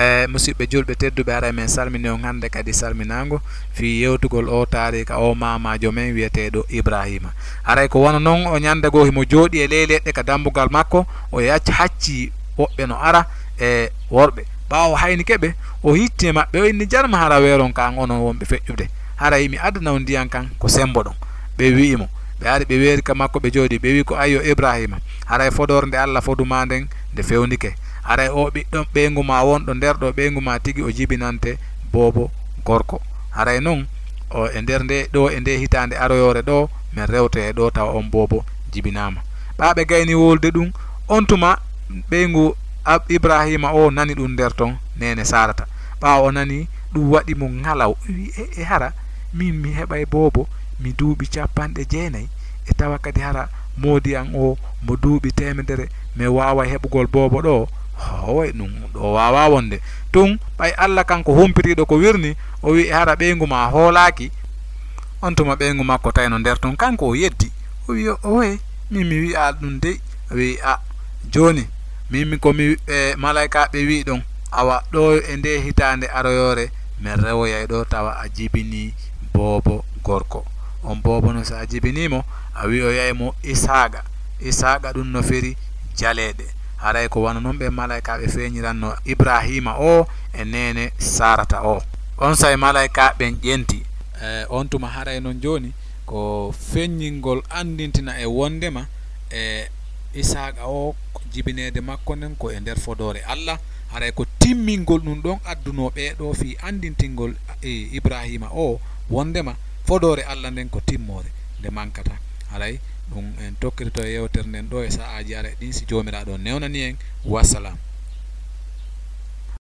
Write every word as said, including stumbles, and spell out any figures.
E musidɓe julɓe tedduɓe, haray men salmini on hannde kadi salminaango fii yewtugol oo taariika oo maamaajo men wi'eteeɗo Ibraahiima. Haray ko wano non o ñannde goo himo jooɗii e ley leɗɗe ka dambugal makko, o yac-, haccii woɓɓe no ara e worɓe. Ɓaawo haynike ɓe, o hitti e maɓɓe, o inni, "Jarma hara weeron ka an onon wonɓe feƴƴude. Haray mi addana on ndiyan kan ko semboɗon." Ɓe wi'i mo, ɓe ari ɓe weeri ka makko ɓe jooɗii, ɓe wi'i ko, "Ayyo Ibraahiima, haray fodoore nde Alla fodu maa nden nde fewndike. Haray oo ɓiɗɗo ɓeyngu maa wonɗo nder ɗoo ɓeyngu maa tigi o jibinante boobo gorko. Haray non o e nder nde ɗoo e nde hitaande aroyoore ɗoo men rewtoyay ɗoo tawa on boobo jibinaama." Ɓaa ɓe gayni wowlude ɗun, on tuma ɓeyngu Ab-, Ibraahiima oo nani ɗun nder ton neene Saarata. Ɓaawo o nani ɗun waɗi mo ŋalaw, o wi'i, "E, e hara min mi heɓay boobo, mi duuɓi cappanɗe jeenay, e tawa kadi hara moodi an oo mo duuɓi teemedere, mi waaway heɓugol boobo ɗoo? Hooy, ɗun ɗoo waawaa wonde. Tun, ɓay Alla kanko humpitiiɗo ko wirnii, o wi'i, 'Hara ɓeyngu maa hoolaaki?'" On tuma ɓeyngu makko tawi no nder ton, kanko o yeddi. O wi'i, "Owe, min mi wi'aa ɗun dey." O wi'i, "A, jooni, min mi, ko mi, e, malaykaaɓe wi'i ɗon, awa, ɗoo e ndee hitaande aroyoore, men rewoyay ɗoo tawa a jibinii boobo gorko. On boobo non, si a jibinii mo, a wi'oyay mo Isaaqa. Isaaqa ɗun no firi jaleeɗe." Haray ko wano non ɓen malaykaaɓe feeñiranno Ibraahiima oo e neene Saarata oo. Onsay malaykaaɓe ɓen ƴenti. E, on tuma haray non jooni ko feññingol anndintina e wonndema e Isaaqa oo, jibineede makko nden ko e nder fodoore Alla, haray ko timmingol ɗun ɗon addunoo ɓee ɗoo fii anndintingol, e, Ibraahiima oo wonndema fodoore Alla nden ko timmoore, nde mankataa. Haray ɗun en tokkitoto e yewtere nden ɗoo e sa'aaji aray ɗin, si Joomiraaɗo on newnanii en. Wassalam.